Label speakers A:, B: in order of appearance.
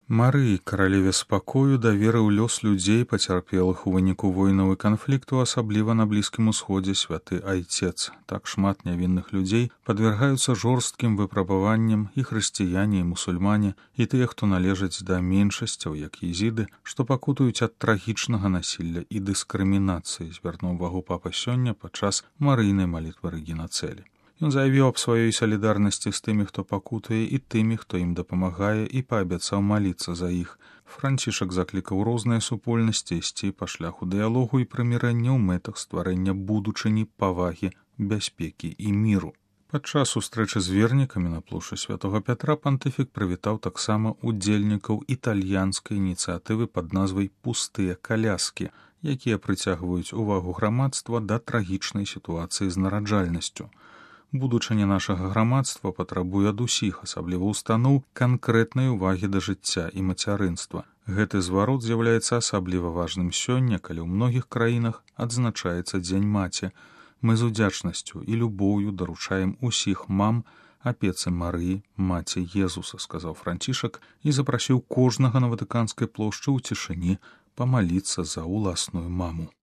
A: Марыі, каралеве спакою, даверыў лёс людзей, пацярпелых у выніку войнаў і канфлікту, асабліва на Блізкім Усходзе святы Айцец. Так шмат нявінных людзей падвяргаюцца жорсткім выпрабаванням, і хрысціяне, і мусульмане, і тыя, хто належаць да меншасцяў, як езіды, што пакутуюць ад трагічнага насілля і дыскрымінацыі, звярнуў увагу папа сёння падчас марыйнай малітвы Рэгіна Цэлі. Ён заявіў аб сваёй салідарнасці з тымі, хто пакутуе, і тымі, хто ім дапамагае, і паабяцаў маліцца за іх. Францішак заклікаў розныя супольнасці ісці па шляху дыялогу і прымірэння ў мэтах стварэння будучыні, павагі, бяспекі і міру. Падчас сустрэчы з вернікамі на плошчы святога Пятра пантыфік прывітаў таксама удзельнікаў італьянскай ініцыятывы пад назвай «Пустыя каляскі», якія прыцягваюць увагу грамадства да трагічнай сітуацыі з нараджальнасцю. Будучыня нашага грамадства патрабуе ад усіх, асабліва ўстаноў, канкрэтнай увагі да жыцця і мацярынства. Гэты зварот з'яўляецца асабліва важным сёння, калі ў многіх краінах адзначаецца Дзень маці. Мы з удзячнасцю і любоўю даручаем усіх мам апецы Марыі, маці Езуса, сказаў Францішак і запрасіў кожнага на Ватыканскай плошчы ў цішыні памаліцца за ўласную маму.